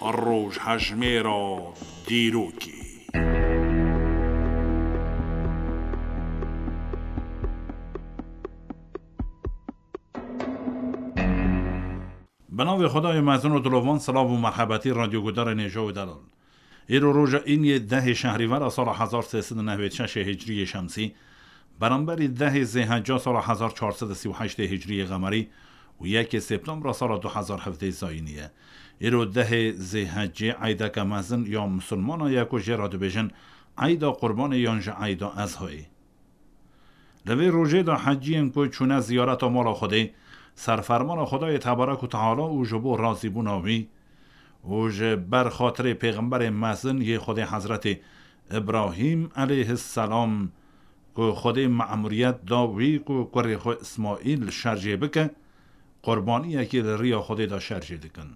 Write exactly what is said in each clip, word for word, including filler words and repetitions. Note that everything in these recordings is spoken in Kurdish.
Rojhejmêra dîrokê. Bi navê Xwedayê mezin û dilovan, silav û merhebetî radyogudarên hêja û delal. Îro roja îniyê dehê şehrîvera sala hezar sê sed û newêd şeş hicriyê şemsî, beramberî dehê zêhecca sala hezar çar sed û sî û heştê hicriyê qemerî û yekê septembra sala du hezar hevdeh zayînî ye. Îro dehê zêheccê eydeke mezin ya misilmana ye ku jê re dibêjin eyda Qurbanê yan jî eyda Ezhoyê. Li vê rojê de heciyên ku çûne ziyareta mala Xwedê, ser fermana Xwedayê Tebarek û Teala û ji bo razîbûna wî û ji ber xatirê pêxemberê mezin yê Xwedê Hezretê Îbrahîm eleyhisselam ku Xwedê me'muriyet da wî ku kurê xwe Îsmaîl şerjê bike, qurbaniyekê li riya Xwedê de şerjê dikin.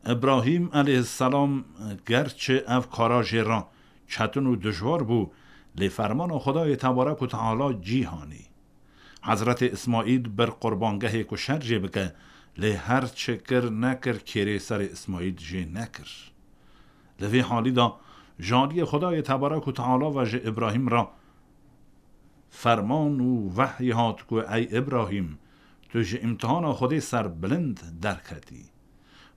Îbrahîm eleyhisselam, gerçi ev kara jê re çetin û dijwar bû, lê fermana Xwedayê Tebarek û Teala cî hanî. Hezretê Îsmaîl bir qurbangehê ku şerjê bike, lê her çi kir nekir kêrê serê Îsmaîl jê nekir. Li vê halî de ji aliyê Xwedayê Tebarek û Teala ve ji Îbrahîm re ferman û wehy hat ku ey Îbrahîm, tu ji îmtihana Xwedê ser bilind derketî.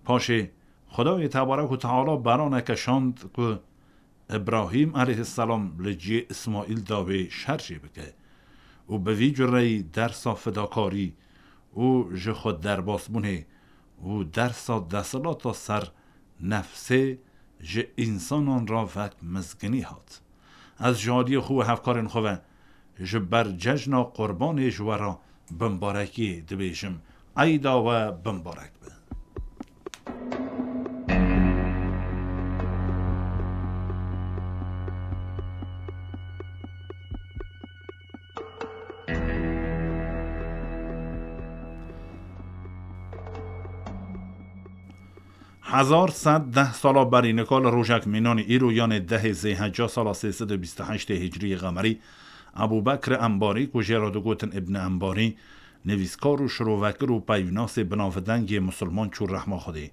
Paşê Xwedayê Tebarek û Teala beraneke şand ku Îbrahîm eleyhisselam li cihê Îsmaîl de wê şerjê bike û bi vî cureyî dersa fidakarî û ji xwe derbasbûnê û dersa desthilata ser nefsê ji însanan re vek mizginî hat. Ez ji aliyê xwe û hevkarên xwe ve ji ber cejna Qurbanê ji we re bimbarekiyê dibêjim. Eyda we bimbarek be. Hezar sed deh sala berî nika li rojek mînanî îro, yanê dehê zêheca sala sê sed û bîst û heştê hicriyê qemerî, Ebû Bekr Embarî ku jê re digotin Îbn Embarî, nivîskar û şirovekir û peyvnasê binavdeng yê misilman çû rehma Xwedê.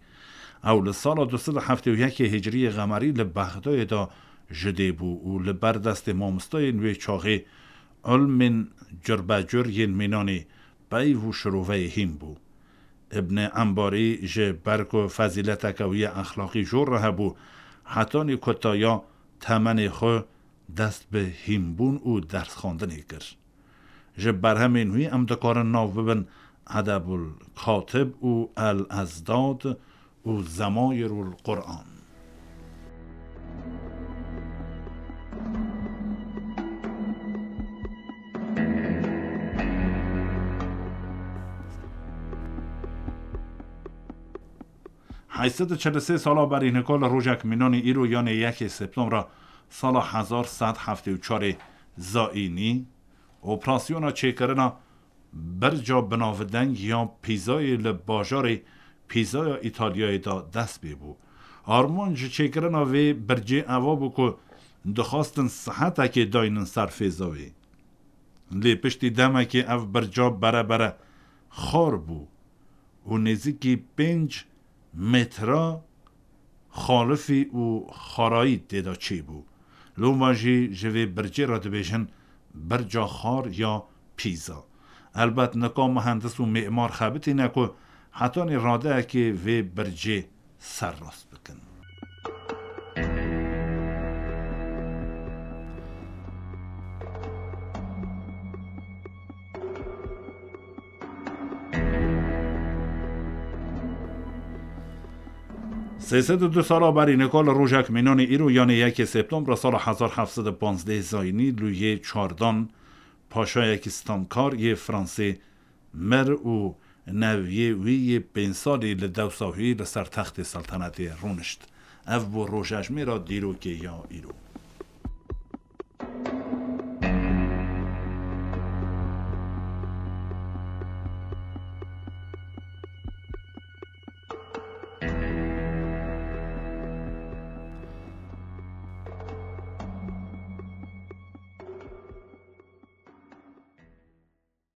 Ew li sala du sed û heftê û yekê hicriyê qemerî li Bexdayê de ji dê bû û li ber destê mamostayên wê çaxê ilmên curbecur yên mînanê peyv û şiroveyê hîn bû. Îbn Embarî ji ber ku fezîleteke wî ya exlaqî jor re hebû, hetanî kutaya temenê xwe dest bi hînbûn û dersxwendinê kir. Ji berhemên wî em dikarin nav bibin Edebul Katib û El Ezdad û Zemayirul Quran. Heyşt sed û çel û sê sala berî nika li rojek mînanî îro, yanê yekê Septembra sala hezar sed heftê û çarê zayînî, operasyona çêkirina birca binavdeng ya Pîzayê li bajarê Pîzaya Îtalyayê de dest pê bû. Armanc ji çêkirina vê bircê eva bû ku dixwastin sihetekê daynin ser fêza wê. Lê piştî demekê ev birca bere bere xar bû û nêzîkî pênc metra xalifî û xarayî tê de çêbû. Loma jî ji vê bircê re dibêjin birca xar ya Pîza. Elbet nika muhendis û mêmar xebitîne ku hetanî radeyekê vê bircê serrast bikin. Sê sed û du sala berî nika li rojek mînanê îro, yanê yekê Septembra sala hezar heft sed û panzdeh zayînî, lûyê çardan, paşayekî stamkar yê Fransê mir û neviyê wî yê pênc salî li dewsa wî li ser textê seltenetê rûnişt. Ev bû rojejmêra dîrokê ya îro.